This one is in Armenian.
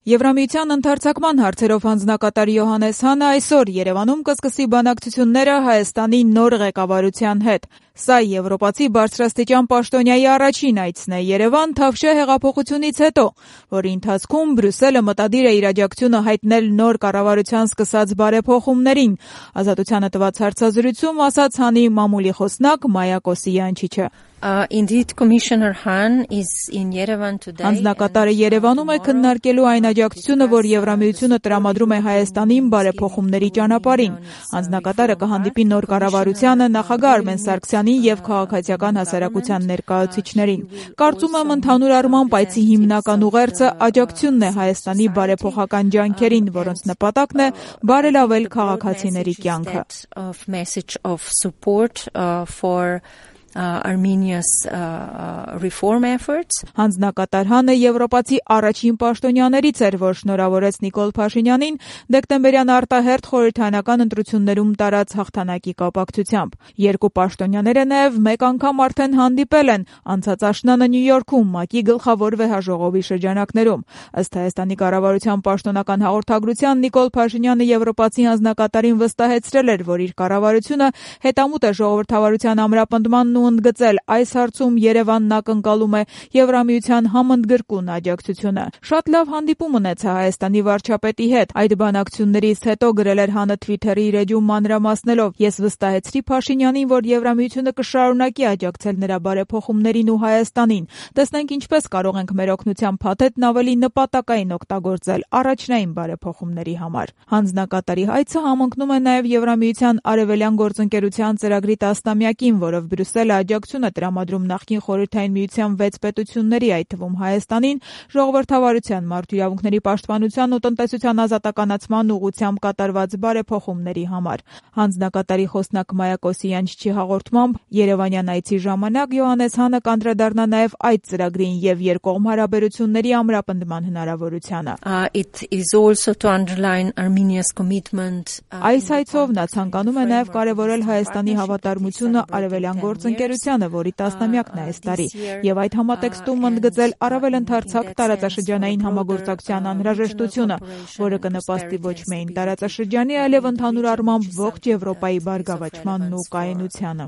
Եվրամիության ընդարձակման հարցերով հանձնակատար Յոհաննես Հանը այսօր Երևանում կսկսի բանակցությունները Հայաստանի նոր ղեկավարության հետ։ Սա եվրոպացի բարձրաստիճան պաշտոնյայի առաջին այցն է Երևան Թավշյա հեղափոխությունից հետո, որի ընթացքում Բրյուսելը մտադիր է իր աջակցությունը հայտնել նոր կառավարության սկսած բարեփոխումներին։ Ազատությանը տված հարցազրույցում ասաց Հանի մամուլի խոսնակ Մայա Կոսիանչիչը։ Indeed, Commissioner Hahn is in Yerevan today. Հանձնակատարը Երևանում է քննարկելու այն աջակցությունը, որ Եվրամիությունը տրամադրում է Հայաստանին բարեփոխումների ճանապարհին։ Հանձնակատարը կհանդիպի նոր կառավարությանը, նախագահ Արմեն Սարգսյանին եւ քաղաքացիական հասարակության ներկայացուցիչներին։ Կարծում եմ, ընդհանուր առմամբ այցի հիմնական ուղերձը աջակցությունն է Հայաստանի բարեփոխական ջանքերին, որոնց նպատակն է բարելավել քաղաքացիների կյանքը։ Armenia's reform efforts. Հանձնակատար Հանը եվրոպացի առաջին պաշտոնյաներից էր, որ շնորհավորեց Նիկոլ Փաշինյանին դեկտեմբերյան արտահերթ խորհրդարանական ընտրություններում տարած հաղթանակի կապակցությամբ։ Երկու պաշտոնյաները նաև մեկ անգամ արդեն հանդիպել են անցած աշնանը Նյու Յորքում ՄԱԿ-ի գլխավոր վեհաժողովի շրջանակներում։ Ըստ Հայաստանի կառավարության պաշտոնական հաղորդագրության Նիկոլ Փաշինյանը եվրոպացի հանձնակատարին վստահեցրել էր, որ իր կառավարությունը հետամուտ է ժողովրդավարության ամրապնդմանն ու ընդգծել այս հարցում Երևանն ակնկալում է Եվրամիության համընդգրկուն աջակցությունը։ Շատ լավ հանդիպում ունեցա Հայաստանի վարչապետի հետ։ Այդ բանակցություններից հետո գրել էր Հանը Թվիթերի իր էջում մանրամասնելով. Ես վստահեցրի Փաշինյանին, որ Եվրամիությունը կշարունակի աջակցել նրա բարեփոխումներին ու Հայաստանին։ Տեսնենք ինչպես կարող ենք մեր օգնության փաթեթն ավելի նպատակային օգտագործել առաջնային բարեփոխումների համար։ Հանձնակատարի այցը համընկնում է նաև Եվրամիության արևելյան գործընկերության ծրագրի 10-ամյակին, որով Բրյուսելը աջակցություն է տրամադրում նախկին խորհրդային միության 6 պետությունների, այդ թվում Հայաստանին, ժողովրդավարության, մարդու իրավունքների պաշտպանության ու տնտեսության ազատականացման ուղղությամբ կատարված բարեփոխումների համար։ Հանձնակատարի խոսնակ Մայա Կոսիանչիչի հաղորդմամբ Երևանյան այցի ժամանակ Յոհաննես Հանը կանդրադառնա նաև այդ ծրագրին եւ երկկողմ հարաբերությունների ամրապնդման հնարավորությանը։ It is also to underline Armenia's commitment. Այս այցով նա ցանկանում է նաև կարևորել Հայաստանի հավատարմությունը արևելյան գործընկերությանը, որի 10-ամյակն է այս տարի, եւ այդ համատեքստում ընդգծել առավել ընդարձակ տարածաշրջանային համագործակցության անհրաժեշտությունը, որը կնպաստի ոչ միայն տարածաշրջանի, այլև ընդհանուր առմամբ ողջ Եվրոպայի բարգավաճմանն ու կայունությանը։